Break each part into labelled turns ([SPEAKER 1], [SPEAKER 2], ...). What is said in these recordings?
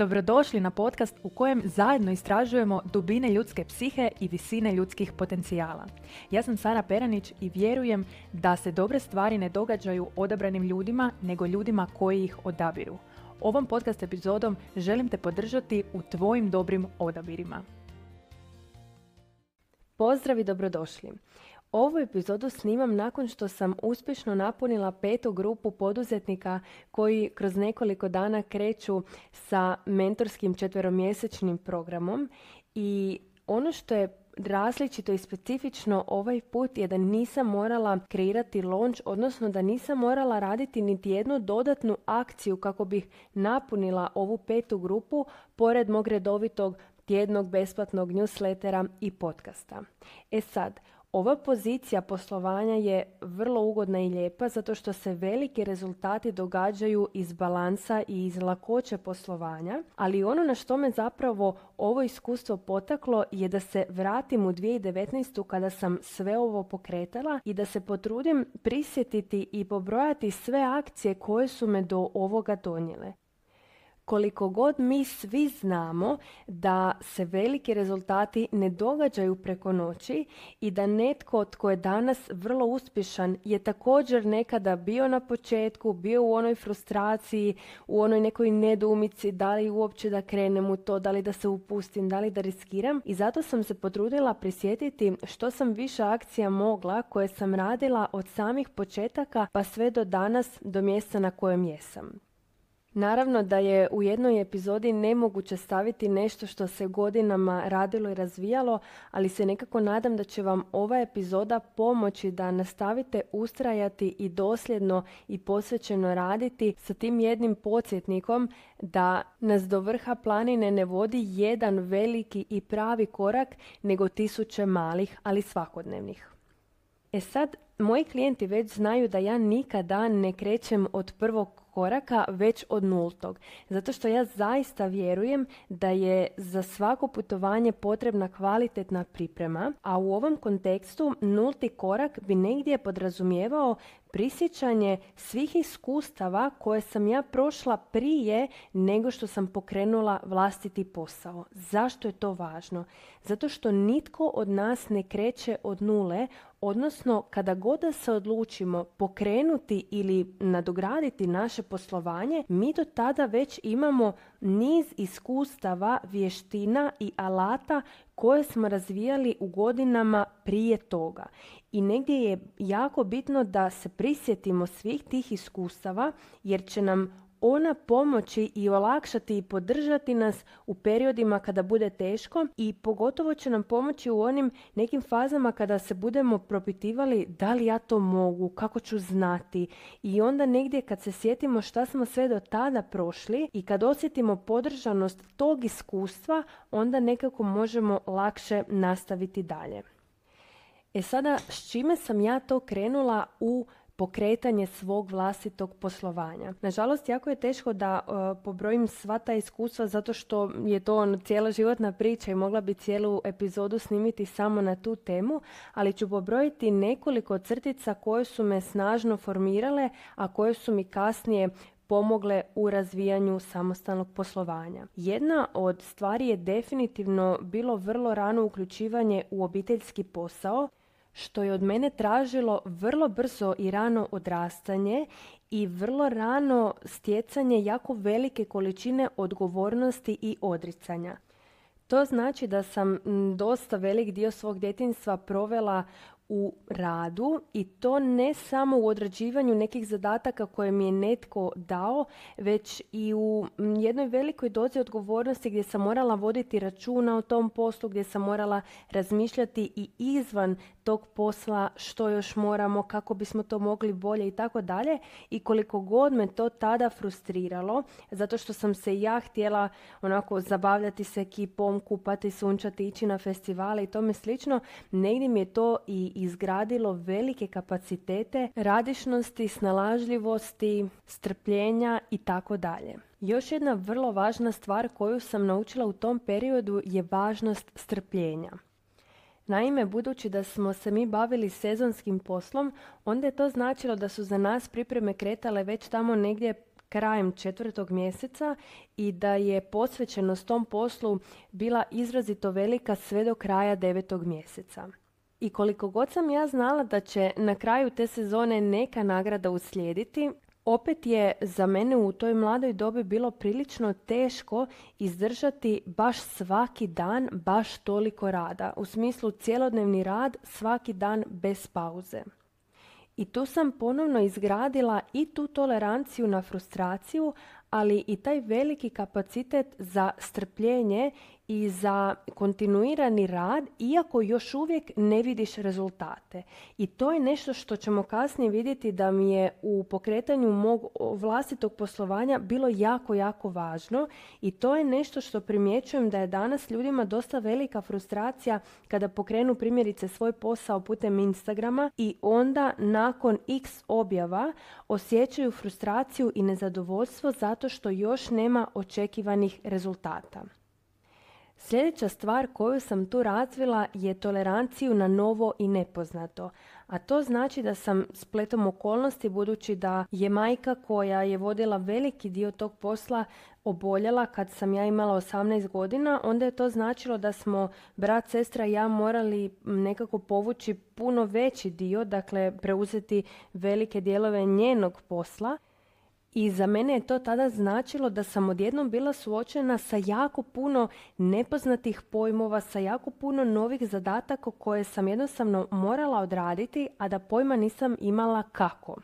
[SPEAKER 1] Dobrodošli na podcast u kojem zajedno istražujemo dubine ljudske psihe i visine ljudskih potencijala. Ja sam Sara Peranić i vjerujem da se dobre stvari ne događaju odabranim ljudima, nego ljudima koji ih odabiru. Ovom podcast epizodom želim te podržati u tvojim dobrim odabirima.
[SPEAKER 2] Pozdrav i dobrodošli. Ovu epizodu snimam nakon što sam uspješno napunila 5. grupu poduzetnika koji kroz nekoliko dana kreću sa mentorskim 4-mjesečnim programom i ono što je različito i specifično ovaj put je da nisam morala kreirati launch, odnosno da nisam morala raditi niti jednu dodatnu akciju kako bih napunila ovu 5. grupu pored mog redovitog tjednog besplatnog newslettera i podcasta. Sad, ova pozicija poslovanja je vrlo ugodna i lijepa zato što se veliki rezultati događaju iz balansa i iz lakoće poslovanja, ali ono na što me zapravo ovo iskustvo potaklo je da se vratim u 2019. kada sam sve ovo pokretala i da se potrudim prisjetiti i pobrojati sve akcije koje su me do ovoga donijele. Koliko god mi svi znamo da se veliki rezultati ne događaju preko noći i da netko tko je danas vrlo uspješan je također nekada bio na početku, bio u onoj frustraciji, u onoj nekoj nedoumici da li uopće da krenem u to, da li da se upustim, da li da riskiram. I zato sam se potrudila prisjetiti što sam više akcija mogla koje sam radila od samih početaka pa sve do danas, do mjesta na kojem jesam. Naravno da je u jednoj epizodi nemoguće staviti nešto što se godinama radilo i razvijalo, ali se nekako nadam da će vam ova epizoda pomoći da nastavite ustrajati i dosljedno i posvećeno raditi sa tim jednim podsjetnikom da nas do vrha planine ne vodi jedan veliki i pravi korak, nego 1000 malih, ali svakodnevnih. Sad, moji klijenti već znaju da ja nikada ne krećem od prvog koraka, već od 0. Zato što ja zaista vjerujem da je za svako putovanje potrebna kvalitetna priprema, a u ovom kontekstu 0. korak bi negdje podrazumijevao prisjećanje svih iskustava koje sam ja prošla prije nego što sam pokrenula vlastiti posao. Zašto je to važno? Zato što nitko od nas ne kreće od 0, odnosno kada god da se odlučimo pokrenuti ili nadograditi naše poslovanje, mi do tada već imamo niz iskustava, vještina i alata koje smo razvijali u godinama prije toga. I negdje je jako bitno da se prisjetimo svih tih iskustava jer će nam ona pomoći i olakšati i podržati nas u periodima kada bude teško i pogotovo će nam pomoći u onim nekim fazama kada se budemo propitivali da li ja to mogu, kako ću znati. I onda negdje kad se sjetimo šta smo sve do tada prošli i kad osjetimo podržanost tog iskustva, onda nekako možemo lakše nastaviti dalje. Sada, s čime sam ja to krenula u pokretanje svog vlastitog poslovanja? Nažalost, jako je teško da pobrojim sva ta iskustva zato što je to cijela životna priča i mogla bi cijelu epizodu snimiti samo na tu temu, ali ću pobrojiti nekoliko crtica koje su me snažno formirale, a koje su mi kasnije pomogle u razvijanju samostalnog poslovanja. Jedna od stvari je definitivno bilo vrlo rano uključivanje u obiteljski posao, što je od mene tražilo vrlo brzo i rano odrastanje i vrlo rano stjecanje jako velike količine odgovornosti i odricanja. To znači da sam dosta velik dio svog djetinjstva provela u radu i to ne samo u odrađivanju nekih zadataka koje mi je netko dao, već i u jednoj velikoj dozi odgovornosti gdje sam morala voditi računa o tom poslu, gdje sam morala razmišljati i izvan tog posla što još moramo, kako bismo to mogli bolje i tako dalje. I koliko god me to tada frustriralo, zato što sam se ja htjela onako zabavljati s ekipom, kupati, sunčati, ići na festivale i tome slično, negdje mi je to i izgradilo velike kapacitete radišnosti, snalažljivosti, strpljenja i tako dalje. Još jedna vrlo važna stvar koju sam naučila u tom periodu je važnost strpljenja. Naime, budući da smo se mi bavili sezonskim poslom, onda je to značilo da su za nas pripreme kretale već tamo negdje krajem 4. mjeseca i da je posvećenost tom poslu bila izrazito velika sve do kraja 9. mjeseca. I koliko god sam ja znala da će na kraju te sezone neka nagrada uslijediti, opet je za mene u toj mladoj dobi bilo prilično teško izdržati baš svaki dan, baš toliko rada. U smislu cjelodnevni rad svaki dan bez pauze. I tu sam ponovno izgradila i tu toleranciju na frustraciju, ali i taj veliki kapacitet za strpljenje i za kontinuirani rad, iako još uvijek ne vidiš rezultate. I to je nešto što ćemo kasnije vidjeti da mi je u pokretanju mog vlastitog poslovanja bilo jako, jako važno. I to je nešto što primjećujem da je danas ljudima dosta velika frustracija kada pokrenu primjerice svoj posao putem Instagrama i onda nakon x objava osjećaju frustraciju i nezadovoljstvo zato što još nema očekivanih rezultata. Sljedeća stvar koju sam tu razvila je toleranciju na novo i nepoznato. A to znači da sam spletom okolnosti, budući da je majka koja je vodila veliki dio tog posla oboljela kad sam ja imala 18 godina, onda je to značilo da smo brat, sestra i ja morali nekako povući puno veći dio, dakle preuzeti velike dijelove njenog posla. I za mene je to tada značilo da sam odjednom bila suočena sa jako puno nepoznatih pojmova, sa jako puno novih zadataka koje sam jednostavno morala odraditi, a da pojma nisam imala kako.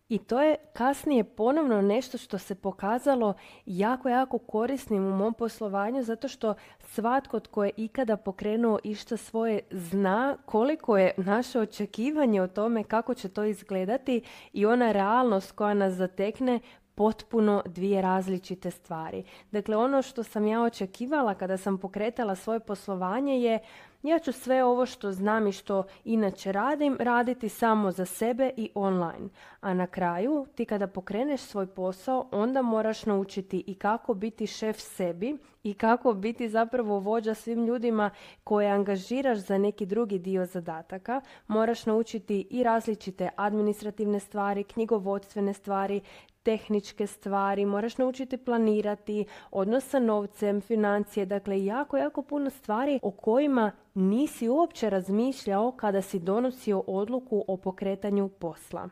[SPEAKER 2] I to je kasnije ponovno nešto što se pokazalo jako, jako korisnim u mom poslovanju, zato što svatko tko je ikada pokrenuo išta svoje zna koliko je naše očekivanje o tome kako će to izgledati i ona realnost koja nas zatekne potpuno dvije različite stvari. Dakle, ono što sam ja očekivala kada sam pokretala svoje poslovanje je: ja ću sve ovo što znam i što inače radim, raditi samo za sebe i online. A na kraju, ti kada pokreneš svoj posao, onda moraš naučiti i kako biti šef sebi i kako biti zapravo vođa svim ljudima koje angažiraš za neki drugi dio zadataka. Moraš naučiti i različite administrativne stvari, knjigovodstvene stvari, tehničke stvari, moraš naučiti planirati, odnos sa novcem, financije, dakle jako, jako puno stvari o kojima nisi uopće razmišljao kada si donosio odluku o pokretanju posla.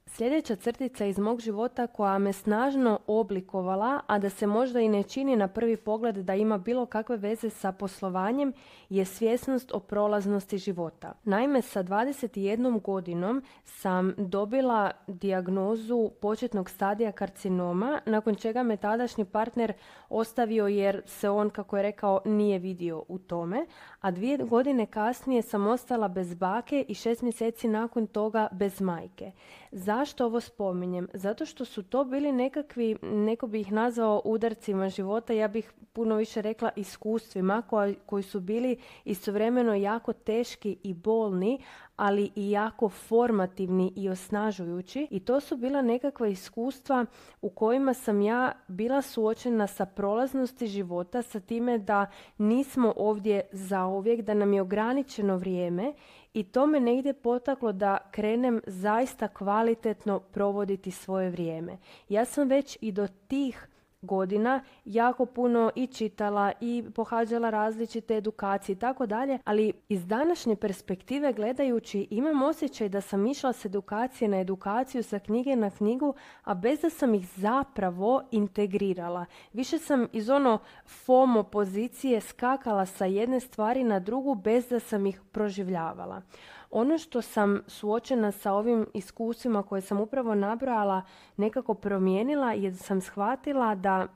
[SPEAKER 2] Sljedeća crtica iz mog života koja me snažno oblikovala, a da se možda i ne čini na prvi pogled da ima bilo kakve veze sa poslovanjem, je svjesnost o prolaznosti života. Naime, sa 21 godinom sam dobila dijagnozu početnog stadija karcinoma, nakon čega me tadašnji partner ostavio jer se on, kako je rekao, nije vidio u tome, a 2 godine kasnije sam ostala bez bake i 6 mjeseci nakon toga bez majke. Zašto ovo spominjem? Zato što su to bili nekakvi, neko bi ih nazvao udarcima života, ja bih puno više rekla iskustvima koji su bili istovremeno jako teški i bolni, ali i jako formativni i osnažujući. I to su bila nekakva iskustva u kojima sam ja bila suočena sa prolaznosti života, sa time da nismo ovdje zauvijek, da nam je ograničeno vrijeme. I to me negdje potaklo da krenem zaista kvalitetno provoditi svoje vrijeme. Ja sam već i do tih godina jako puno i čitala i pohađala različite edukacije i tako dalje, ali iz današnje perspektive gledajući imam osjećaj da sam išla s edukacije na edukaciju, sa knjige na knjigu, a bez da sam ih zapravo integrirala. Više sam iz FOMO pozicije skakala sa jedne stvari na drugu bez da sam ih proživljavala. Ono što sam suočena sa ovim iskustvima koje sam upravo nabrojala nekako promijenila je da sam shvatila da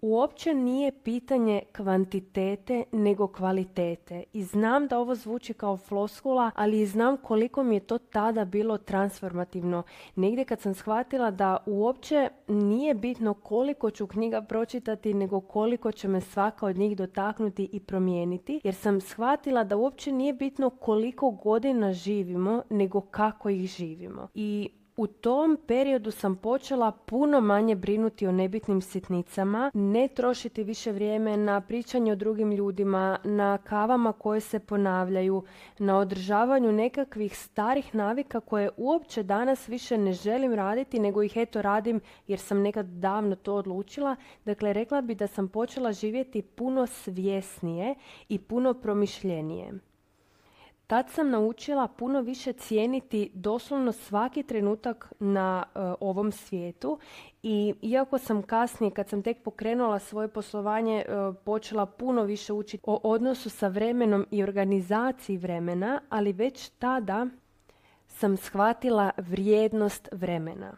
[SPEAKER 2] uopće nije pitanje kvantitete nego kvalitete. I znam da ovo zvuči kao floskula, ali i znam koliko mi je to tada bilo transformativno. Negdje kad sam shvatila da uopće nije bitno koliko ću knjiga pročitati, nego koliko će me svaka od njih dotaknuti i promijeniti. Jer sam shvatila da uopće nije bitno koliko godina živimo, nego kako ih živimo. I U tom periodu sam počela puno manje brinuti o nebitnim sitnicama, ne trošiti više vrijeme na pričanje o drugim ljudima, na kavama koje se ponavljaju, na održavanju nekakvih starih navika koje uopće danas više ne želim raditi, nego ih eto radim jer sam nekad davno to odlučila. Dakle, rekla bi da sam počela živjeti puno svjesnije i puno promišljenije. Tad sam naučila puno više cijeniti doslovno svaki trenutak na ovom svijetu i iako sam kasnije, kad sam tek pokrenula svoje poslovanje, počela puno više učiti o odnosu sa vremenom i organizaciji vremena, ali već tada sam shvatila vrijednost vremena.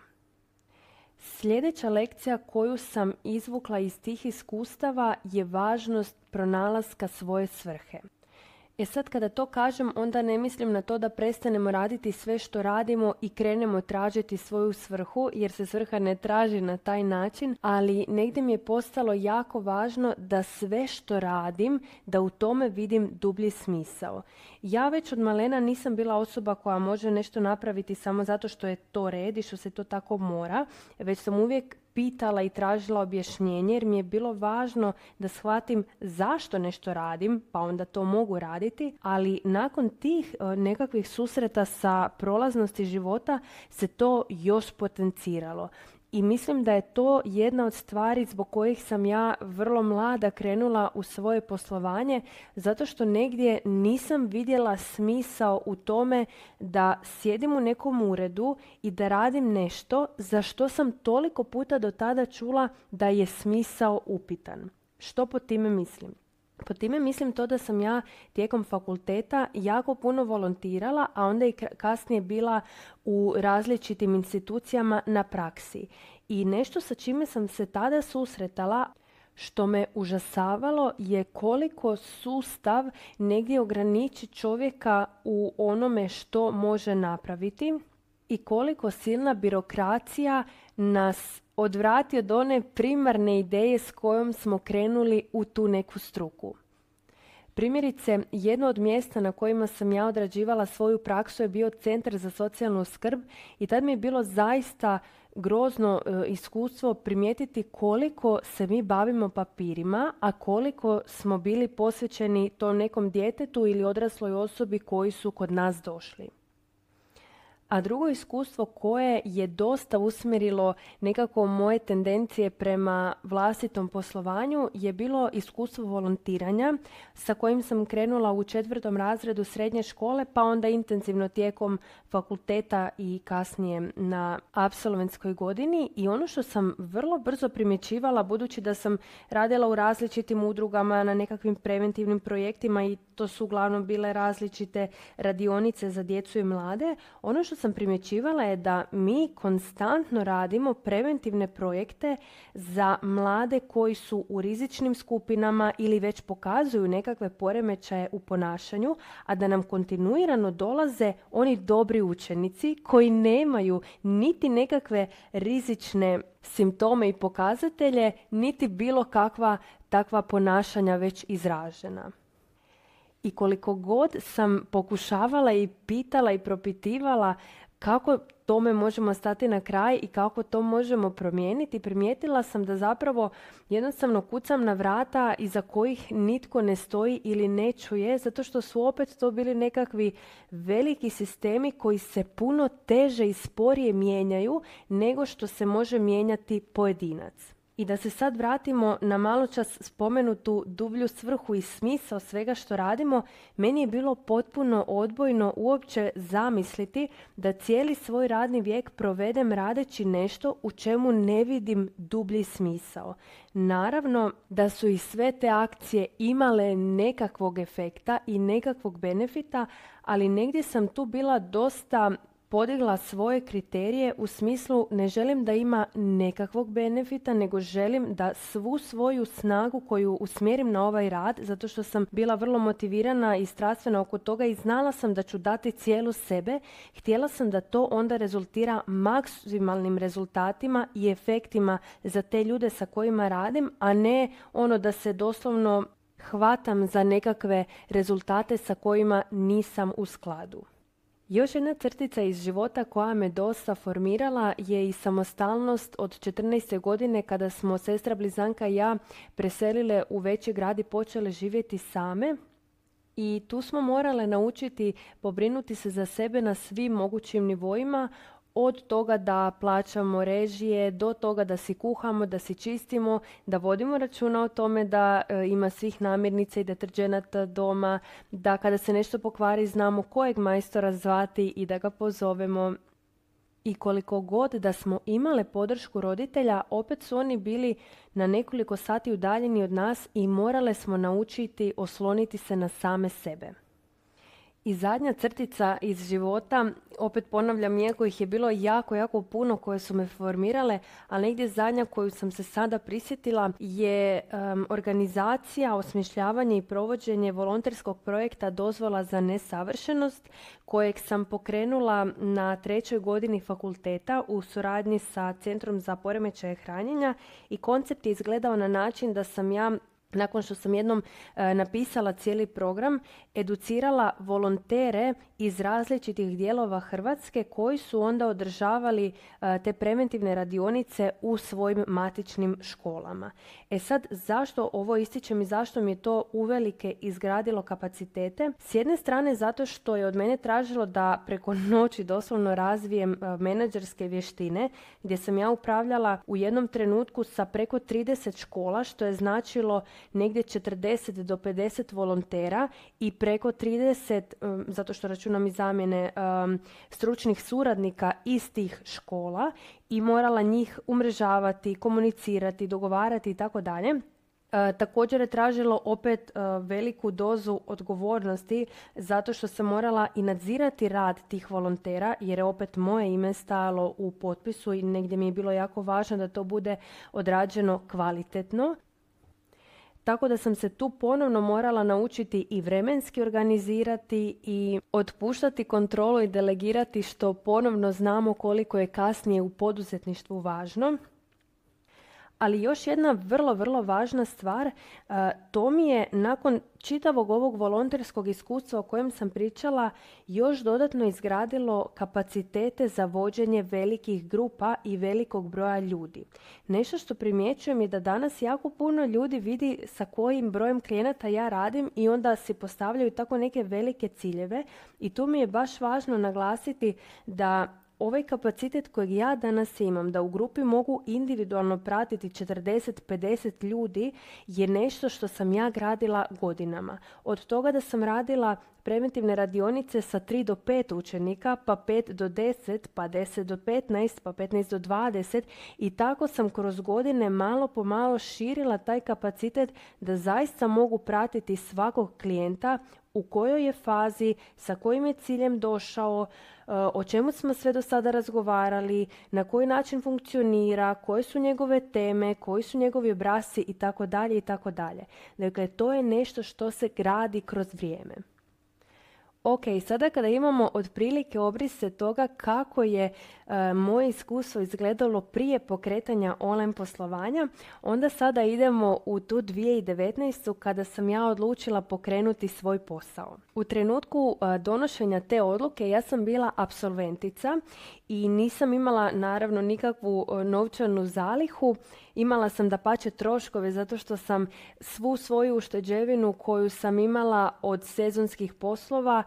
[SPEAKER 2] Sljedeća lekcija koju sam izvukla iz tih iskustava je važnost pronalaska svoje svrhe. Sad kada to kažem, onda ne mislim na to da prestanemo raditi sve što radimo i krenemo tražiti svoju svrhu, jer se svrha ne traži na taj način, ali negdje mi je postalo jako važno da sve što radim, da u tome vidim dublji smisao. Ja već od malena nisam bila osoba koja može nešto napraviti samo zato što je to red i što se to tako mora, već sam uvijek pitala i tražila objašnjenje jer mi je bilo važno da shvatim zašto nešto radim, pa onda to mogu raditi, ali nakon tih nekakvih susreta sa prolaznosti života se to još potenciralo. I mislim da je to jedna od stvari zbog kojih sam ja vrlo mlada krenula u svoje poslovanje, zato što negdje nisam vidjela smisao u tome da sjedim u nekom uredu i da radim nešto za što sam toliko puta do tada čula da je smisao upitan. Što pod time mislim? Pod time mislim to da sam ja tijekom fakulteta jako puno volontirala, a onda i kasnije bila u različitim institucijama na praksi. I nešto sa čime sam se tada susretala, što me užasavalo, je koliko sustav negdje ograniči čovjeka u onome što može napraviti i koliko silna birokracija nas odvrati od one primarne ideje s kojom smo krenuli u tu neku struku. Primjerice, jedno od mjesta na kojima sam ja odrađivala svoju praksu je bio Centar za socijalnu skrb i tad mi je bilo zaista grozno iskustvo primijetiti koliko se mi bavimo papirima, a koliko smo bili posvećeni tom nekom djetetu ili odrasloj osobi koji su kod nas došli. A drugo iskustvo koje je dosta usmjerilo nekako moje tendencije prema vlastitom poslovanju je bilo iskustvo volontiranja sa kojim sam krenula u 4. razredu srednje škole, pa onda intenzivno tijekom fakulteta i kasnije na apsolventskoj godini. I ono što sam vrlo brzo primjećivala, budući da sam radila u različitim udrugama na nekakvim preventivnim projektima i to su uglavnom bile različite radionice za djecu i mlade, ono što sam primjećivala je da mi konstantno radimo preventivne projekte za mlade koji su u rizičnim skupinama ili već pokazuju nekakve poremećaje u ponašanju, a da nam kontinuirano dolaze oni dobri učenici koji nemaju niti nekakve rizične simptome i pokazatelje, niti bilo kakva takva ponašanja već izražena. I koliko god sam pokušavala i pitala i propitivala kako tome možemo stati na kraj i kako to možemo promijeniti, primijetila sam da zapravo jednostavno kucam na vrata iza kojih nitko ne stoji ili ne čuje, zato što su opet to bili nekakvi veliki sistemi koji se puno teže i sporije mijenjaju nego što se može mijenjati pojedinac. I da se sad vratimo na maločas spomenutu dublju svrhu i smisao svega što radimo, meni je bilo potpuno odbojno uopće zamisliti da cijeli svoj radni vijek provedem radeći nešto u čemu ne vidim dublji smisao. Naravno da su i sve te akcije imale nekakvog efekta i nekakvog benefita, ali negdje sam tu bila dosta podigla svoje kriterije u smislu ne želim da ima nekakvog benefita, nego želim da svu svoju snagu koju usmjerim na ovaj rad, zato što sam bila vrlo motivirana i strastvena oko toga i znala sam da ću dati cijelu sebe, htjela sam da to onda rezultira maksimalnim rezultatima i efektima za te ljude sa kojima radim, a ne ono da se doslovno hvatam za nekakve rezultate sa kojima nisam u skladu. Još jedna crtica iz života koja me dosta formirala je i samostalnost od 14. godine kada smo sestra blizanka i ja preselile u veći grad i počele živjeti same. I tu smo morale naučiti pobrinuti se za sebe na svim mogućim nivoima, od toga da plaćamo režije, do toga da si kuhamo, da si čistimo, da vodimo računa o tome da ima svih namirnica i deterdženata doma, da kada se nešto pokvari znamo kojeg majstora zvati i da ga pozovemo. I koliko god da smo imale podršku roditelja, opet su oni bili na nekoliko sati udaljeni od nas i morale smo naučiti osloniti se na same sebe. I zadnja crtica iz života, opet ponavljam, iako ih je bilo jako, jako puno koje su me formirale, a negdje zadnja koju sam se sada prisjetila je organizacija, osmišljavanje i provođenje volonterskog projekta Dozvola za nesavršenost, kojeg sam pokrenula na 3. godini fakulteta u suradnji sa Centrom za poremećaje hranjenja i koncept je izgledao na način da sam ja, nakon što sam jednom napisala cijeli program, educirala volontere iz različitih dijelova Hrvatske koji su onda održavali te preventivne radionice u svojim matičnim školama. E sad, zašto ovo ističem i zašto mi je to uvelike izgradilo kapacitete? S jedne strane zato što je od mene tražilo da preko noći doslovno razvijem menadžerske vještine, gdje sam ja upravljala u jednom trenutku sa preko 30 škola, što je značilo negdje 40 do 50 volontera i preko 30, zato što računam i zamjene, stručnih suradnika iz tih škola i morala njih umrežavati, komunicirati, dogovarati i tako dalje. Također je tražilo opet veliku dozu odgovornosti zato što sam morala i nadzirati rad tih volontera jer je opet moje ime stajalo u potpisu i negdje mi je bilo jako važno da to bude odrađeno kvalitetno. Tako da sam se tu ponovno morala naučiti i vremenski organizirati i otpuštati kontrolu i delegirati, što ponovno znamo koliko je kasnije u poduzetništvu važno. Ali još jedna vrlo, vrlo važna stvar, to mi je nakon čitavog ovog volonterskog iskustva o kojem sam pričala još dodatno izgradilo kapacitete za vođenje velikih grupa i velikog broja ljudi. Nešto što primjećujem je da danas jako puno ljudi vidi sa kojim brojem klijenata ja radim i onda si postavljaju tako neke velike ciljeve i tu mi je baš važno naglasiti da ovaj kapacitet kojeg ja danas imam, da u grupi mogu individualno pratiti 40-50 ljudi, je nešto što sam ja gradila godinama. Od toga da sam radila preventivne radionice sa 3 do 5 učenika, pa 5 do 10, pa 10 do 15, pa 15 do 20 i tako sam kroz godine malo po malo širila taj kapacitet da zaista mogu pratiti svakog klijenta u kojoj je fazi, sa kojim je ciljem došao, o čemu smo sve do sada razgovarali, na koji način funkcionira, koje su njegove teme, koji su njegovi obrasci itd. itd. Dakle, to je nešto što se gradi kroz vrijeme. Ok, sada kada imamo otprilike obrise toga kako je moje iskustvo izgledalo prije pokretanja online poslovanja, onda sada idemo u tu 2019. kada sam ja odlučila pokrenuti svoj posao. U trenutku donošenja te odluke ja sam bila apsolventica i nisam imala naravno nikakvu novčanu zalihu. Imala sam dapače troškove zato što sam svu svoju ušteđevinu koju sam imala od sezonskih poslova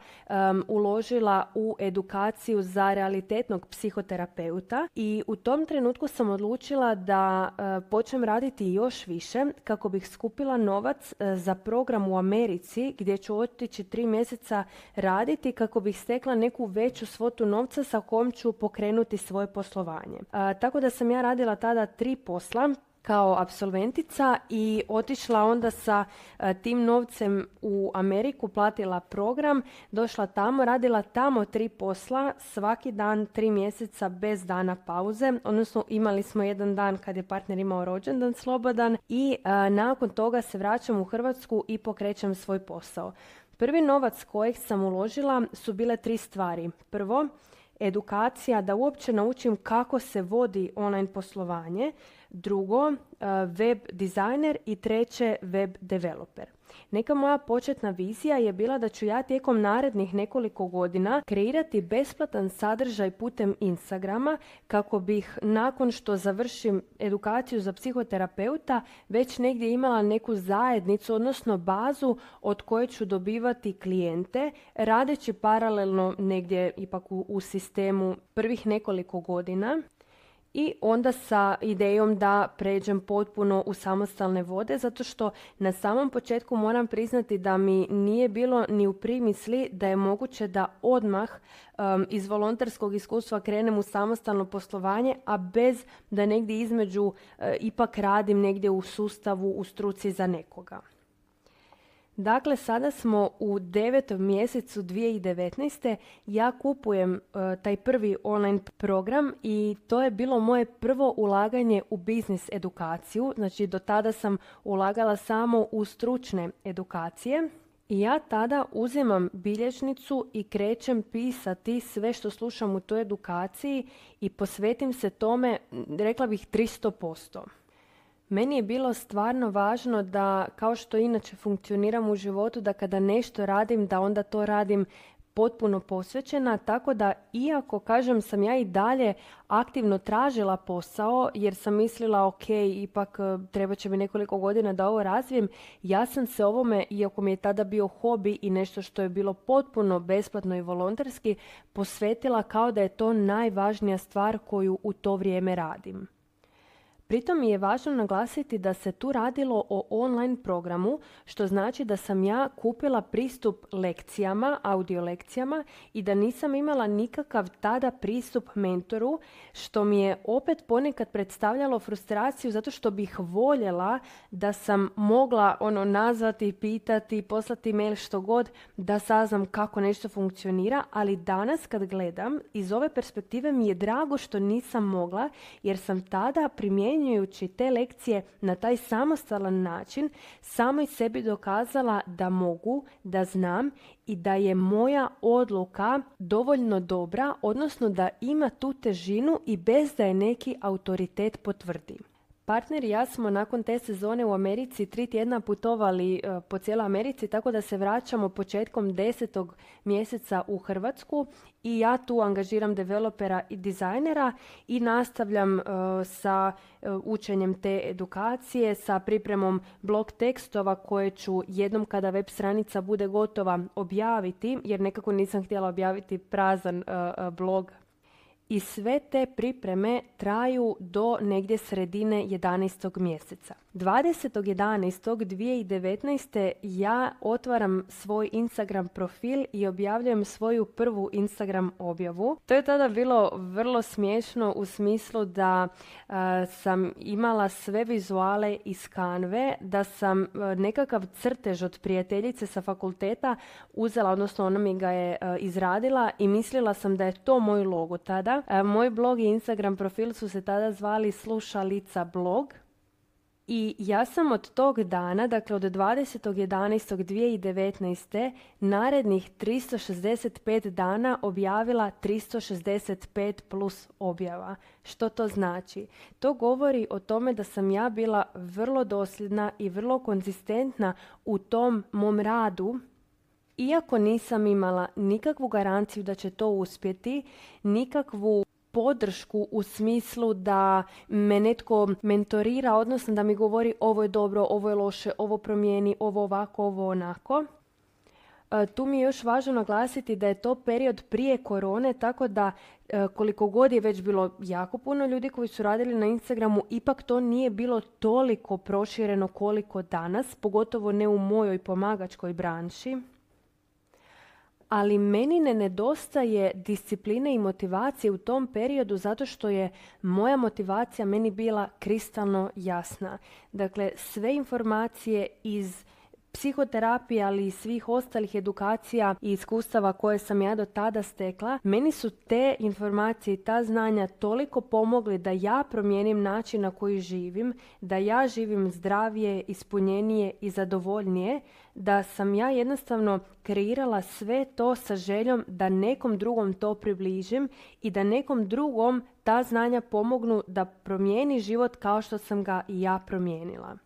[SPEAKER 2] uložila u edukaciju za realitetnog psihoterapeuta i u tom trenutku sam odlučila da počnem raditi još više kako bih skupila novac za program u Americi gdje ću otići 3 mjeseca raditi kako bih stekla neku veću svotu novca sa kojom ću pokrenuti svoje poslovanje. Tako da sam ja radila tada 3 posla kao apsolventica i otišla onda sa tim novcem u Ameriku, platila program, došla tamo, radila tamo 3 posla, svaki dan 3 mjeseca bez dana pauze, odnosno imali smo jedan dan kad je partner imao rođendan slobodan i nakon toga se vraćam u Hrvatsku i pokrećem svoj posao. Prvi novac kojeg sam uložila su bile 3 stvari. Prvo, edukacija da uopće naučim kako se vodi online poslovanje. drugo web dizajner i treće web developer. Neka moja početna vizija je bila da ću ja tijekom narednih nekoliko godina kreirati besplatan sadržaj putem Instagrama kako bih nakon što završim edukaciju za psihoterapeuta već negdje imala neku zajednicu, odnosno bazu od koje ću dobivati klijente radeći paralelno negdje ipak u sistemu prvih nekoliko godina. I onda sa idejom da pređem potpuno u samostalne vode, zato što na samom početku moram priznati da mi nije bilo ni u primisli da je moguće da odmah iz volonterskog iskustva krenem u samostalno poslovanje, a bez da negdje između ipak radim negdje u sustavu, u struci za nekoga. Dakle, sada smo u 9. mjesecu 2019. Ja kupujem taj prvi online program i to je bilo moje prvo ulaganje u biznis edukaciju. Znači, do tada sam ulagala samo u stručne edukacije. I ja tada uzimam bilježnicu i krećem pisati sve što slušam u toj edukaciji i posvetim se tome, rekla bih, 300%. Meni je bilo stvarno važno da, kao što inače funkcioniram u životu, da kada nešto radim, da onda to radim potpuno posvećena, tako da iako, kažem, sam ja i dalje aktivno tražila posao, jer sam mislila, ok, ipak treba će mi nekoliko godina da ovo razvijem, ja sam se ovome, iako mi je tada bio hobi i nešto što je bilo potpuno besplatno i volonterski, posvetila kao da je to najvažnija stvar koju u to vrijeme radim. Pritom mi je važno naglasiti da se tu radilo o online programu, što znači da sam ja kupila pristup lekcijama, audio lekcijama i da nisam imala nikakav tada pristup mentoru, što mi je opet ponekad predstavljalo frustraciju zato što bih voljela da sam mogla nazvati, pitati, poslati mail, što god, da saznam kako nešto funkcionira, ali danas kad gledam iz ove perspektive mi je drago što nisam mogla, jer sam tada primjenjujući te lekcije na taj samostalan način samoj sebi dokazala da mogu, da znam i da je moja odluka dovoljno dobra, odnosno da ima tu težinu i bez da je neki autoritet potvrdi. Partner i ja smo nakon te sezone u Americi 3 tjedna putovali po cijeloj Americi, tako da se vraćamo početkom 10. mjeseca u Hrvatsku i ja tu angažiram developera i dizajnera i nastavljam sa učenjem te edukacije, sa pripremom blog tekstova koje ću jednom kada web stranica bude gotova objaviti, jer nekako nisam htjela objaviti prazan blog. I sve te pripreme traju do negdje sredine 11. mjeseca. 20.11.2019. ja otvaram svoj Instagram profil i objavljujem svoju prvu Instagram objavu. To je tada bilo vrlo smiješno u smislu da sam imala sve vizuale iz Canve, da sam nekakav crtež od prijateljice sa fakulteta uzela, odnosno ona mi ga je izradila i mislila sam da je to moj logo tada. Moj blog i Instagram profil su se tada zvali Slušalica blog. I ja sam od tog dana, dakle od 20.11.2019. narednih 365 dana objavila 365 plus objava. Što to znači? To govori o tome da sam ja bila vrlo dosljedna i vrlo konzistentna u tom mom radu, iako nisam imala nikakvu garanciju da će to uspjeti, nikakvu podršku u smislu da me netko mentorira, odnosno da mi govori ovo je dobro, ovo je loše, ovo promijeni, ovo ovako, ovo onako. Tu mi je još važno naglasiti da je to period prije korone, tako da koliko god je već bilo jako puno ljudi koji su radili na Instagramu, ipak to nije bilo toliko prošireno koliko danas, pogotovo ne u mojoj pomagačkoj branši. Ali meni ne nedostaje discipline i motivacije u tom periodu zato što je moja motivacija meni bila kristalno jasna. Dakle, sve informacije iz psihoterapije, ali i svih ostalih edukacija i iskustava koje sam ja do tada stekla, meni su te informacije i ta znanja toliko pomogli da ja promijenim način na koji živim, da ja živim zdravije, ispunjenije i zadovoljnije, da sam ja jednostavno kreirala sve to sa željom da nekom drugom to približim i da nekom drugom ta znanja pomognu da promijeni život kao što sam ga i ja promijenila.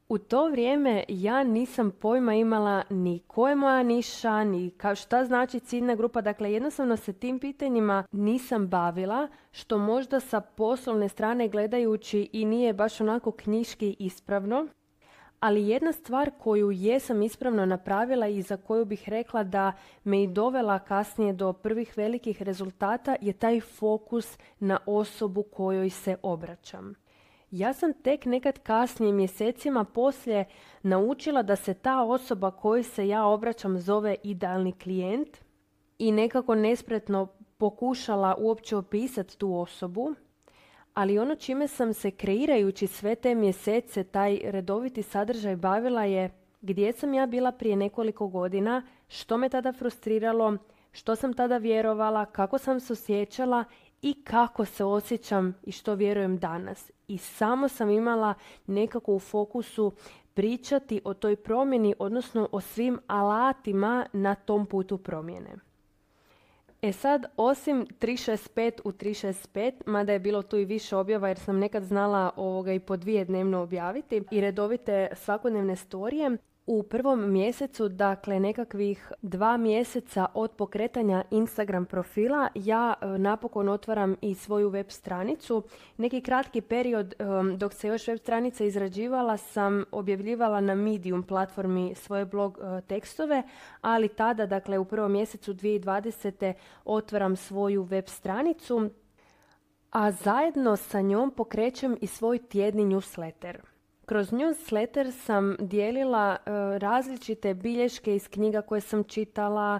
[SPEAKER 2] U to vrijeme ja nisam pojma imala ni ko je moja niša, ni šta znači ciljna grupa. Dakle, jednostavno se tim pitanjima nisam bavila, što možda sa poslovne strane gledajući i nije baš onako knjiški ispravno. Ali jedna stvar koju jesam ispravno napravila i za koju bih rekla da me i dovela kasnije do prvih velikih rezultata je taj fokus na osobu kojoj se obraćam. Ja sam tek nekad kasnije, mjesecima poslije, naučila da se ta osoba kojoj se ja obraćam zove idealni klijent i nekako nespretno pokušala uopće opisati tu osobu. Ali ono čime sam se kreirajući sve te mjesece, taj redoviti sadržaj bavila je gdje sam ja bila prije nekoliko godina, što me tada frustriralo, što sam tada vjerovala, kako sam se osjećala i kako se osjećam i što vjerujem danas. I samo sam imala nekako u fokusu pričati o toj promjeni, odnosno o svim alatima na tom putu promjene. E sad, osim 365 u 365, mada je bilo tu i više objava jer sam nekad znala i po 2 dnevno objaviti i redovite svakodnevne storije, u prvom mjesecu, dakle nekakvih 2 mjeseca od pokretanja Instagram profila, ja napokon otvaram i svoju web stranicu. Neki kratki period dok se još web stranica izrađivala sam objavljivala na Medium platformi svoje blog tekstove, ali tada, dakle u prvom mjesecu 2020. otvaram svoju web stranicu, a zajedno sa njom pokrećem i svoj tjedni newsletter. Kroz newsletter sam dijelila različite bilješke iz knjiga koje sam čitala,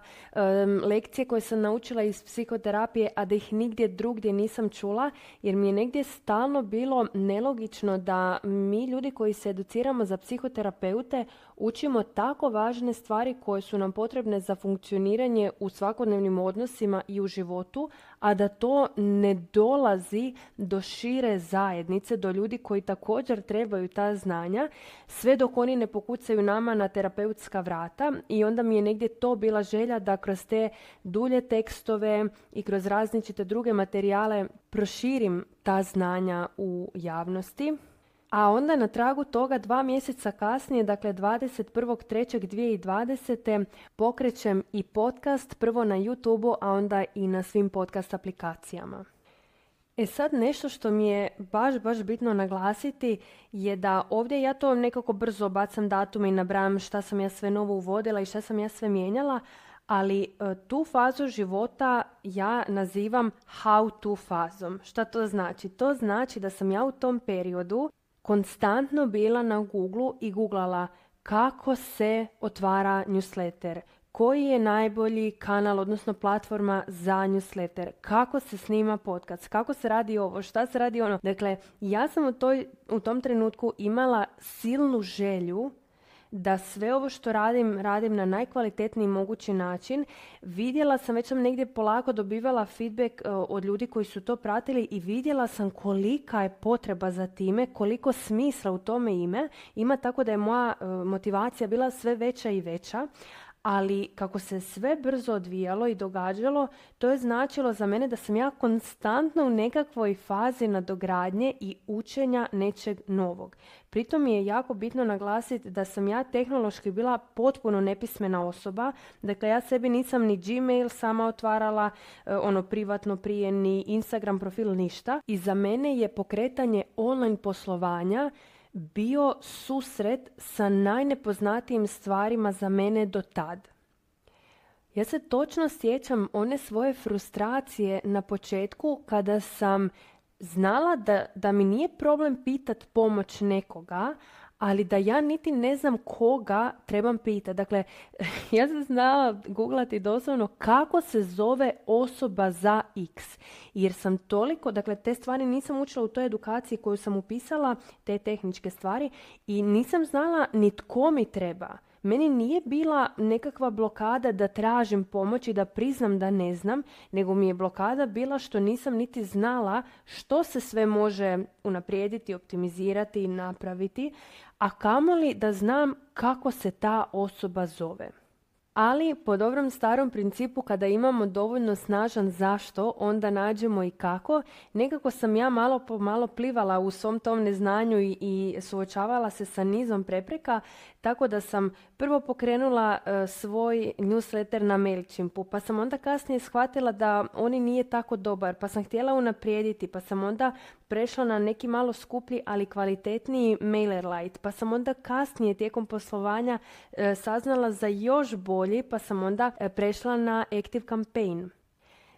[SPEAKER 2] lekcije koje sam naučila iz psihoterapije, a da ih nigdje drugdje nisam čula, jer mi je negdje stalno bilo nelogično da mi ljudi koji se educiramo za psihoterapeute učimo tako važne stvari koje su nam potrebne za funkcioniranje u svakodnevnim odnosima i u životu, a da to ne dolazi do šire zajednice, do ljudi koji također trebaju ta znanja, sve dok oni ne pokucaju nama na terapeutska vrata. I onda mi je negdje to bila želja da kroz te dulje tekstove i kroz različite druge materijale proširim ta znanja u javnosti. A onda na tragu toga 2 mjeseca kasnije, dakle 21.3.2020. pokrećem i podcast, prvo na YouTubeu, a onda i na svim podcast aplikacijama. E sad, nešto što mi je baš bitno naglasiti je da ovdje ja to nekako brzo bacam datume i nabrajam šta sam ja sve novo uvodila i šta sam ja sve mijenjala, ali tu fazu života ja nazivam how to fazom. Šta to znači? To znači da sam ja u tom periodu konstantno bila na Googlu i googlala kako se otvara newsletter, koji je najbolji kanal, odnosno platforma za newsletter, kako se snima podcast, kako se radi ovo, šta se radi ono. Dakle, ja sam u tom trenutku imala silnu želju da sve ovo što radim na najkvalitetniji mogući način. Vidjela sam, već sam negdje polako dobivala feedback od ljudi koji su to pratili i vidjela sam kolika je potreba za time, koliko smisla u tome ima, tako da je moja motivacija bila sve veća i veća. Ali kako se sve brzo odvijalo i događalo, to je značilo za mene da sam ja konstantno u nekakvoj fazi nadogradnje i učenja nečeg novog. Pritom mi je jako bitno naglasiti da sam ja tehnološki bila potpuno nepismena osoba. Dakle, ja sebi nisam ni Gmail sama otvarala, privatno prije, ni Instagram profil, ništa. I za mene je pokretanje online poslovanja bio susret sa najnepoznatijim stvarima za mene do tad. Ja se točno sjećam one svoje frustracije na početku kada sam znala da mi nije problem pitat pomoć nekoga, ali da ja niti ne znam koga trebam pitati. Dakle, ja sam znala googlati doslovno kako se zove osoba za X. Jer sam toliko, dakle, te stvari nisam učila u toj edukaciji koju sam upisala, te tehničke stvari, i nisam znala ni tko mi treba. meni nije bila nekakva blokada da tražim pomoć i da priznam da ne znam, nego mi je blokada bila što nisam niti znala što se sve može unaprijediti, optimizirati i napraviti, a kamoli da znam kako se ta osoba zove. Ali po dobrom starom principu kada imamo dovoljno snažan zašto, onda nađemo i kako. Nekako sam ja malo po malo plivala u svom tom neznanju i suočavala se sa nizom prepreka, tako da sam prvo pokrenula svoj newsletter na Mailchimpu, pa sam onda kasnije shvatila da on nije tako dobar, pa sam htjela unaprijediti, pa sam onda prešla na neki malo skuplji, ali kvalitetniji MailerLite, pa sam onda kasnije tijekom poslovanja saznala za još bolji, pa sam onda prešla na ActiveCampaign.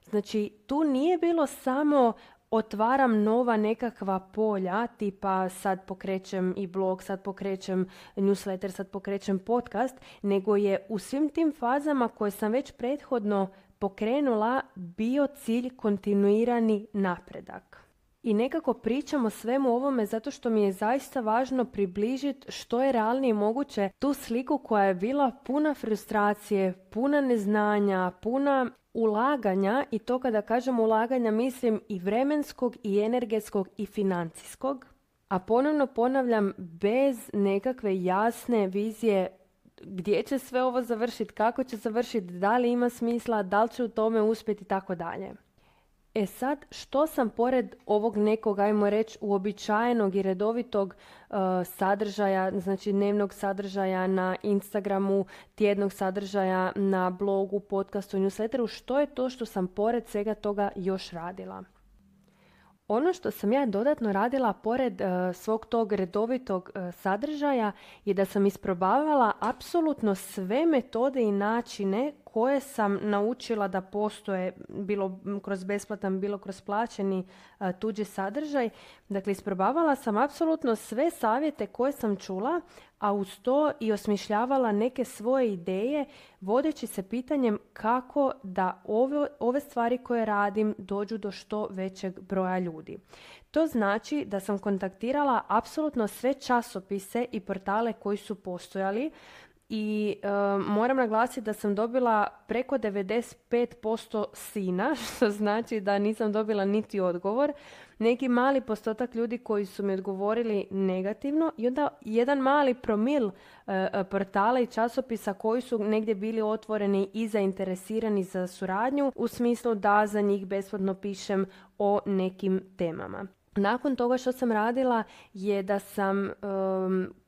[SPEAKER 2] Znači, tu nije bilo samo otvaram nova nekakva polja, tipa sad pokrećem i blog, sad pokrećem newsletter, sad pokrećem podcast, nego je u svim tim fazama koje sam već prethodno pokrenula bio cilj kontinuirani napredak. I nekako pričam o svemu ovome zato što mi je zaista važno približiti što je realnije moguće tu sliku koja je bila puna frustracije, puna neznanja, puna ulaganja, i to kada kažem ulaganja mislim i vremenskog i energetskog i financijskog, a ponovno ponavljam bez nekakve jasne vizije gdje će sve ovo završiti, kako će završiti, da li ima smisla, da li će u tome uspjeti i tako dalje. E sad, što sam pored ovog nekog, ajmo reći, uobičajenog i redovitog sadržaja, znači dnevnog sadržaja na Instagramu, tjednog sadržaja na blogu, podcastu, newsletteru, što je to što sam pored svega toga još radila? Ono što sam ja dodatno radila pored svog tog redovitog sadržaja je da sam isprobavala apsolutno sve metode i načine koje sam naučila da postoje, bilo kroz besplatan, bilo kroz plaćeni tuđi sadržaj. Dakle, isprobavala sam apsolutno sve savjete koje sam čula, a uz to i osmišljavala neke svoje ideje, vodeći se pitanjem kako da ove stvari koje radim dođu do što većeg broja ljudi. To znači da sam kontaktirala apsolutno sve časopise i portale koji su postojali, i moram naglasiti da sam dobila preko 95% sina, što znači da nisam dobila niti odgovor. Neki mali postotak ljudi koji su mi odgovorili negativno i onda jedan mali promil portala i časopisa koji su negdje bili otvoreni i zainteresirani za suradnju u smislu da za njih besplatno pišem o nekim temama. Nakon toga što sam radila je da sam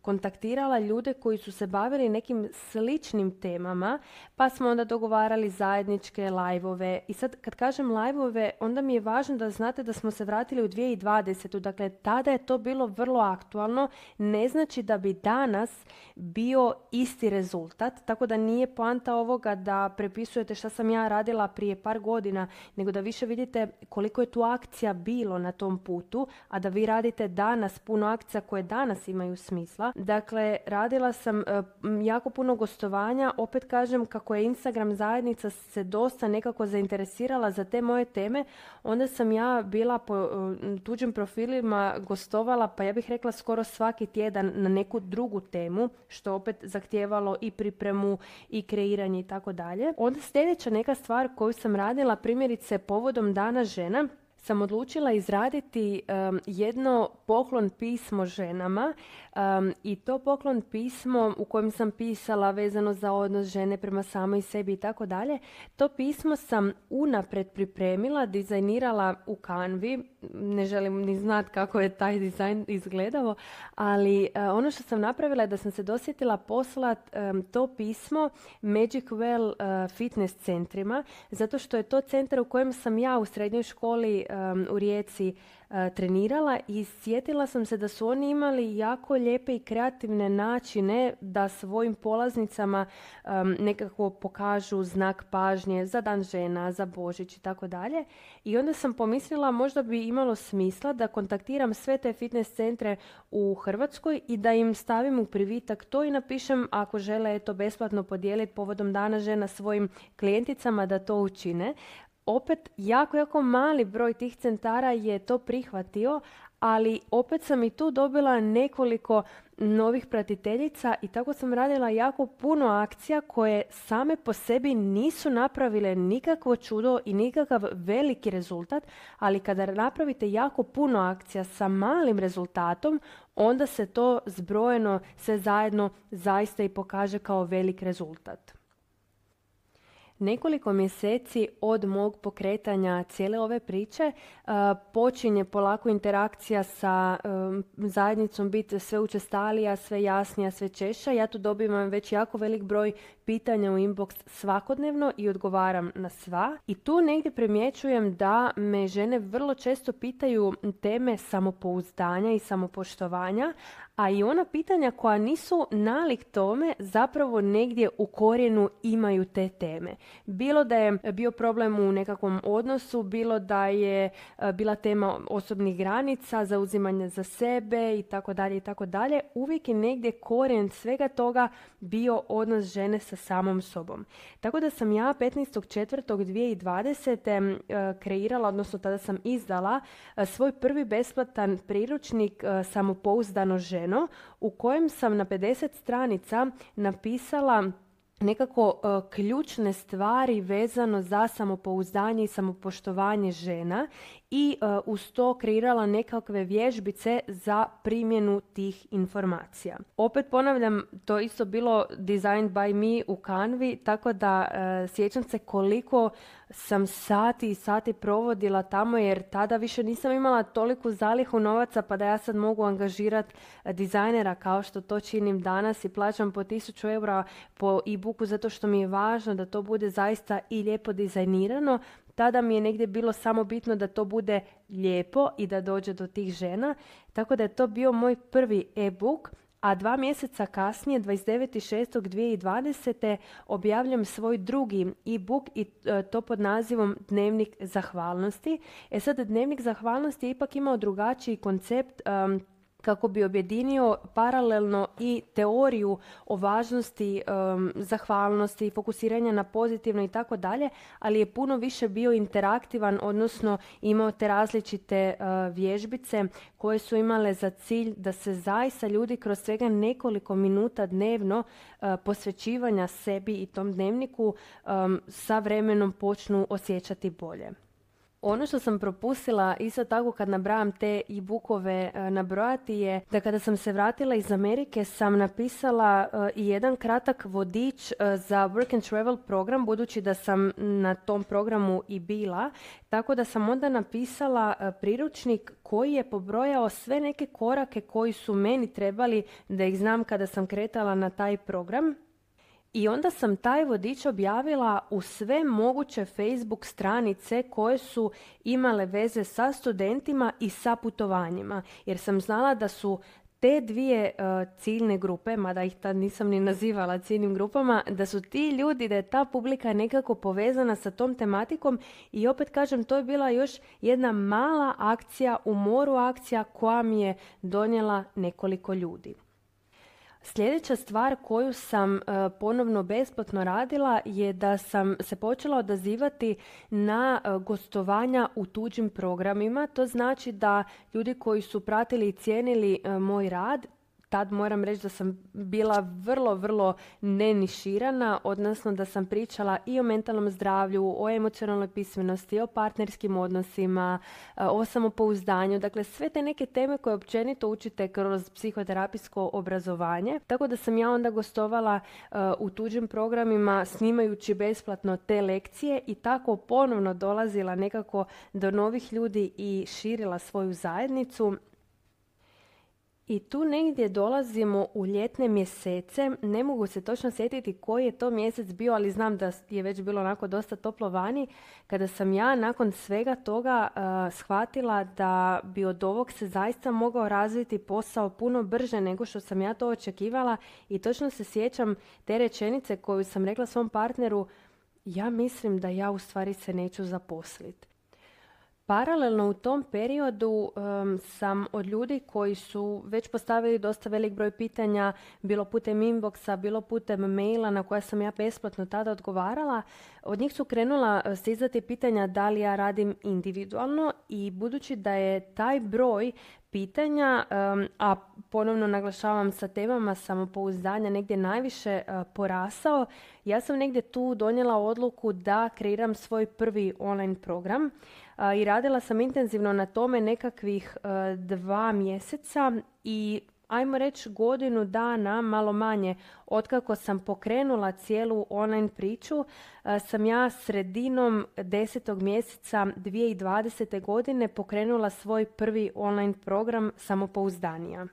[SPEAKER 2] kontaktirala ljude koji su se bavili nekim sličnim temama, pa smo onda dogovarali zajedničke live-ove. I sad kad kažem live-ove, onda mi je važno da znate da smo se vratili u 2020. Dakle, tada je to bilo vrlo aktualno. Ne znači da bi danas bio isti rezultat, tako da nije poanta ovoga da prepisujete šta sam ja radila prije par godina, nego da više vidite koliko je tu akcija bilo na tom putu, a da vi radite danas puno akcija koje danas imaju smisla. Dakle, radila sam jako puno gostovanja. Opet kažem, kako je Instagram zajednica se dosta nekako zainteresirala za te moje teme, onda sam ja bila po tuđim profilima gostovala, pa ja bih rekla skoro svaki tjedan na neku drugu temu, što opet zahtijevalo i pripremu i kreiranje i tako dalje. Onda sljedeća neka stvar koju sam radila, primjerice povodom Dana žena, sam odlučila izraditi jedno poklon pismo ženama i to poklon pismo u kojem sam pisala vezano za odnos žene prema samoj sebi i tako dalje. To pismo sam unaprijed pripremila, dizajnirala u Canvi. Ne želim ni znati kako je taj dizajn izgledao, ali ono što sam napravila je da sam se dosjetila poslati to pismo Magic Well fitness centrima, zato što je to centar u kojem sam ja u srednjoj školi u Rijeci trenirala i sjetila sam se da su oni imali jako lijepe i kreativne načine da svojim polaznicama nekako pokažu znak pažnje za Dan žena, za Božić i tako dalje. I onda sam pomislila možda bi imalo smisla da kontaktiram sve te fitness centre u Hrvatskoj i da im stavim u privitak to i napišem ako žele to besplatno podijeliti povodom Dana žena svojim klijenticama da to učine. Opet, jako mali broj tih centara je to prihvatio, ali opet sam i tu dobila nekoliko novih pratiteljica i tako sam radila jako puno akcija koje same po sebi nisu napravile nikakvo čudo i nikakav veliki rezultat, ali kada napravite jako puno akcija sa malim rezultatom, onda se to zbrojeno sve zajedno zaista i pokaže kao velik rezultat. Nekoliko mjeseci od mog pokretanja cijele ove priče počinje polako interakcija sa zajednicom biti sve učestalija, sve jasnija, sve češća. Ja tu dobivam već jako velik broj pitanja u inbox svakodnevno i odgovaram na sva. I tu negdje primjećujem da me žene vrlo često pitaju teme samopouzdanja i samopoštovanja, a i ona pitanja koja nisu nalik tome zapravo negdje u korijenu imaju te teme. Bilo da je bio problem u nekakvom odnosu, bilo da je bila tema osobnih granica, zauzimanja za sebe i tako dalje, uvijek je negdje korijen svega toga bio odnos žene sa samom sobom. Tako da sam ja 15.4.2020. Kreirala, odnosno tada sam izdala svoj prvi besplatan priručnik Samopouzdano ženo, u kojem sam na 50 stranica napisala nekako ključne stvari vezano za samopouzdanje i samopoštovanje žena i uz to kreirala nekakve vježbice za primjenu tih informacija. Opet ponavljam, to isto bilo designed by me u Canvi, tako da sjećam se koliko sam sati i sati provodila tamo, jer tada više nisam imala toliku zalihu novaca pa da ja sad mogu angažirati dizajnera kao što to činim danas i plaćam po 1000 eura po e-booku zato što mi je važno da to bude zaista i lijepo dizajnirano. Tada mi je negdje bilo samo bitno da to bude lijepo i da dođe do tih žena. Tako da je to bio moj prvi e-book, a 2 mjeseca kasnije, 29.6.2020. objavljam svoj drugi e-book i to pod nazivom Dnevnik zahvalnosti. Sad, Dnevnik zahvalnosti je ipak imao drugačiji koncept kako bi objedinio paralelno i teoriju o važnosti zahvalnosti, fokusiranja na pozitivno i tako dalje, ali je puno više bio interaktivan, odnosno imao te različite vježbice koje su imale za cilj da se zaista ljudi kroz svega nekoliko minuta dnevno posvećivanja sebi i tom dnevniku sa vremenom počnu osjećati bolje. Ono što sam propustila isto tako kad nabrajam te e-bookove nabrojati je da kada sam se vratila iz Amerike sam napisala i jedan kratak vodič za Work and Travel program, budući da sam na tom programu i bila, tako da sam onda napisala priručnik koji je pobrojao sve neke korake koji su meni trebali da ih znam kada sam kretala na taj program. I onda sam taj vodič objavila u sve moguće Facebook stranice koje su imale veze sa studentima i sa putovanjima. Jer sam znala da su te dvije ciljne grupe, mada ih tad nisam ni nazivala ciljnim grupama, da su ti ljudi, da je ta publika nekako povezana sa tom tematikom i opet kažem, to je bila još jedna mala akcija u moru akcija koja mi je donijela nekoliko ljudi. Sljedeća stvar koju sam ponovno besplatno radila je da sam se počela odazivati na gostovanja u tuđim programima. To znači da ljudi koji su pratili i cijenili moj rad, tad moram reći da sam bila vrlo neniširana, odnosno da sam pričala i o mentalnom zdravlju, o emocionalnoj pismenosti, o partnerskim odnosima, o samopouzdanju, dakle sve te neke teme koje općenito učite kroz psihoterapijsko obrazovanje. Tako da sam ja onda gostovala u tuđim programima snimajući besplatno te lekcije i tako ponovno dolazila nekako do novih ljudi i širila svoju zajednicu. I tu negdje dolazimo u ljetne mjesece, ne mogu se točno sjetiti koji je to mjesec bio, ali znam da je već bilo onako dosta toplo vani, kada sam ja nakon svega toga shvatila da bi od ovog se zaista mogao razviti posao puno brže nego što sam ja to očekivala i točno se sjećam te rečenice koju sam rekla svom partneru, ja mislim da ja u stvari se neću zaposliti. Paralelno u tom periodu sam od ljudi koji su već postavili dosta velik broj pitanja, bilo putem inboxa, bilo putem maila na koja sam ja besplatno tada odgovarala, od njih su krenula stizati pitanja da li ja radim individualno i budući da je taj broj pitanja, a ponovno naglašavam sa temama samopouzdanja negdje najviše porasao, ja sam negdje tu donijela odluku da kreiram svoj prvi online program i radila sam intenzivno na tome nekakvih 2 mjeseca i ajmo reći godinu dana, malo manje, otkako sam pokrenula cijelu online priču, sam ja sredinom 10. mjeseca 2020. godine pokrenula svoj prvi online program Samopouzdanija.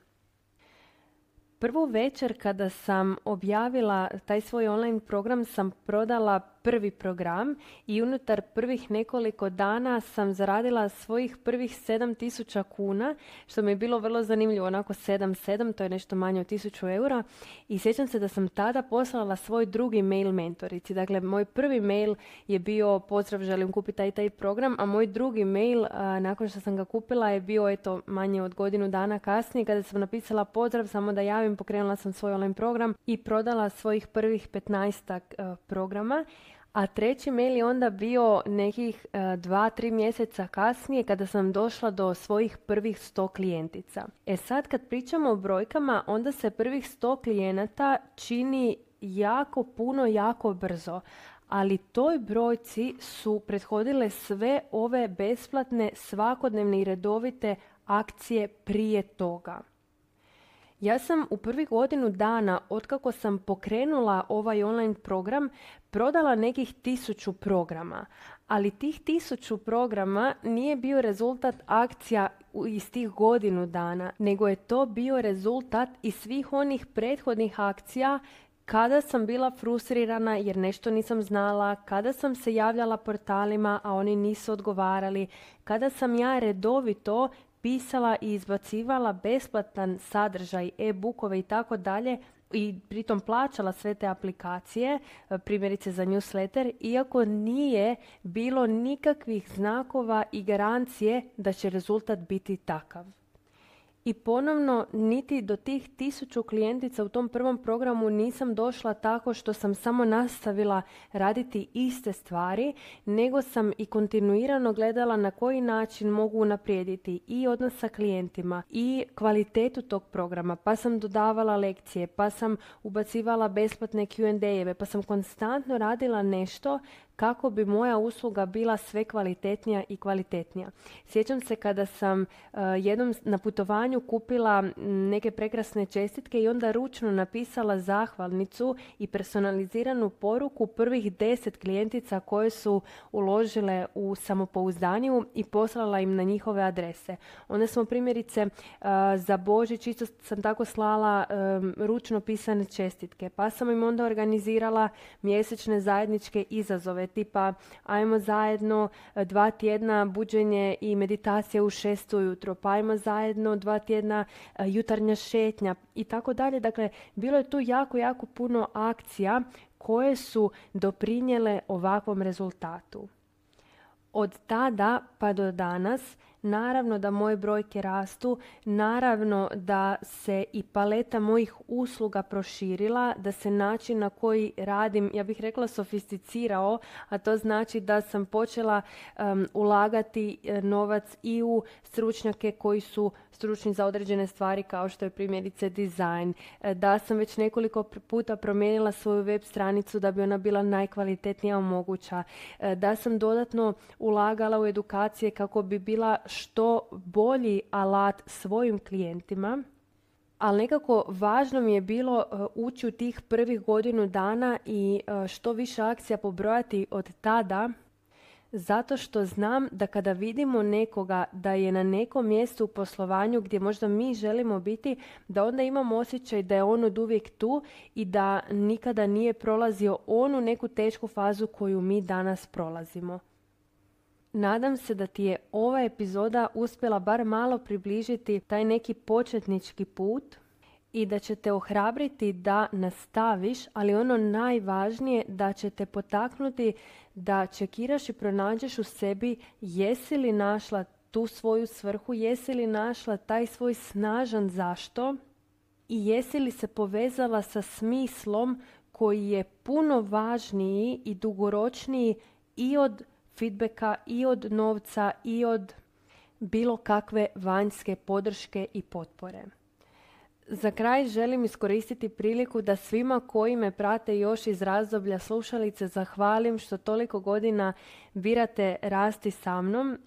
[SPEAKER 2] Prvu večer kada sam objavila taj svoj online program sam prodala prvi program i unutar prvih nekoliko dana sam zaradila svojih prvih 7.000 kuna, što mi je bilo vrlo zanimljivo, onako 7, to je nešto manje od 1.000 eura. I sjećam se da sam tada poslala svoj drugi mail mentorici. Dakle, moj prvi mail je bio pozdrav, želim kupiti taj program, a moj drugi mail nakon što sam ga kupila je bio manje od godinu dana kasnije kada sam napisala pozdrav, samo da javim, pokrenula sam svoj online program i prodala svojih prvih 15 programa. A treći mail je onda bio nekih 2-3 mjeseca kasnije kada sam došla do svojih prvih 100 klijentica. Sad kad pričamo o brojkama, onda se prvih 100 klijenata čini jako puno, jako brzo. Ali toj brojci su prethodile sve ove besplatne, svakodnevne i redovite akcije prije toga. Ja sam u prvih godinu dana, otkako sam pokrenula ovaj online program, prodala nekih 1000 programa. Ali tih 1000 programa nije bio rezultat akcija iz tih godinu dana, nego je to bio rezultat i svih onih prethodnih akcija kada sam bila frustrirana jer nešto nisam znala, kada sam se javljala portalima, a oni nisu odgovarali, kada sam ja redovito pisala i izbacivala besplatan sadržaj, e-bookove i tako dalje i pritom plaćala sve te aplikacije, primjerice za newsletter, iako nije bilo nikakvih znakova i garancije da će rezultat biti takav. I ponovno, niti do tih 1000 klijentica u tom prvom programu nisam došla tako što sam samo nastavila raditi iste stvari, nego sam i kontinuirano gledala na koji način mogu unaprijediti i odnos sa klijentima i kvalitetu tog programa, pa sam dodavala lekcije, pa sam ubacivala besplatne Q&A-eve, pa sam konstantno radila nešto kako bi moja usluga bila sve kvalitetnija i kvalitetnija. Sjećam se kada sam jednom na putovanju kupila neke prekrasne čestitke i onda ručno napisala zahvalnicu i personaliziranu poruku prvih 10 klijentica koje su uložile u samopouzdaniju i poslala im na njihove adrese. Onda smo primjerice za Božić isto sam tako slala ručno pisane čestitke, pa sam im onda organizirala mjesečne zajedničke izazove tipa ajmo zajedno 2 tjedna buđenje i meditacija u 6 ujutro, pa ajmo zajedno 2 tjedna jutarnja šetnja i tako dalje. Dakle, bilo je tu jako puno akcija koje su doprinijele ovakvom rezultatu. Od tada pa do danas, naravno da moje brojke rastu, naravno da se i paleta mojih usluga proširila, da se način na koji radim, ja bih rekla sofisticirao, a to znači da sam počela ulagati novac i u stručnjake koji su stručni za određene stvari kao što je primjerice dizajn, da sam već nekoliko puta promijenila svoju web stranicu da bi ona bila najkvalitetnija moguća, da sam dodatno ulagala u edukacije kako bi bila što bolji alat svojim klijentima, ali nekako važno mi je bilo ući u tih prvih godinu dana i što više akcija pobrojati od tada, zato što znam da kada vidimo nekoga da je na nekom mjestu u poslovanju gdje možda mi želimo biti, da onda imamo osjećaj da je on od uvijek tu i da nikada nije prolazio onu neku tešku fazu koju mi danas prolazimo. Nadam se da ti je ova epizoda uspjela bar malo približiti taj neki početnički put i da će te ohrabriti da nastaviš, ali ono najvažnije da će te potaknuti da čekiraš i pronađeš u sebi jesi li našla tu svoju svrhu, jesi li našla taj svoj snažan zašto i jesi li se povezala sa smislom koji je puno važniji i dugoročniji i od feedbacka, i od novca, i od bilo kakve vanjske podrške i potpore. Za kraj želim iskoristiti priliku da svima koji me prate još iz razdoblja slušalice zahvalim što toliko godina birate rasti sa mnom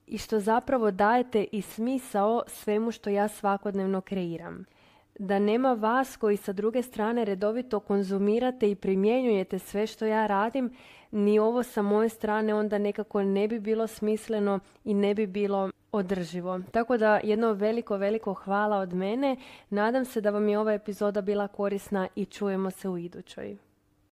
[SPEAKER 2] i što zapravo dajete i smisao svemu što ja svakodnevno kreiram. Da nema vas koji sa druge strane redovito konzumirate i primjenjujete sve što ja radim, ni ovo sa moje strane onda nekako ne bi bilo smisleno i ne bi bilo održivo. Tako da jedno veliko hvala od mene. Nadam se da vam je ova epizoda bila korisna i čujemo se u idućoj.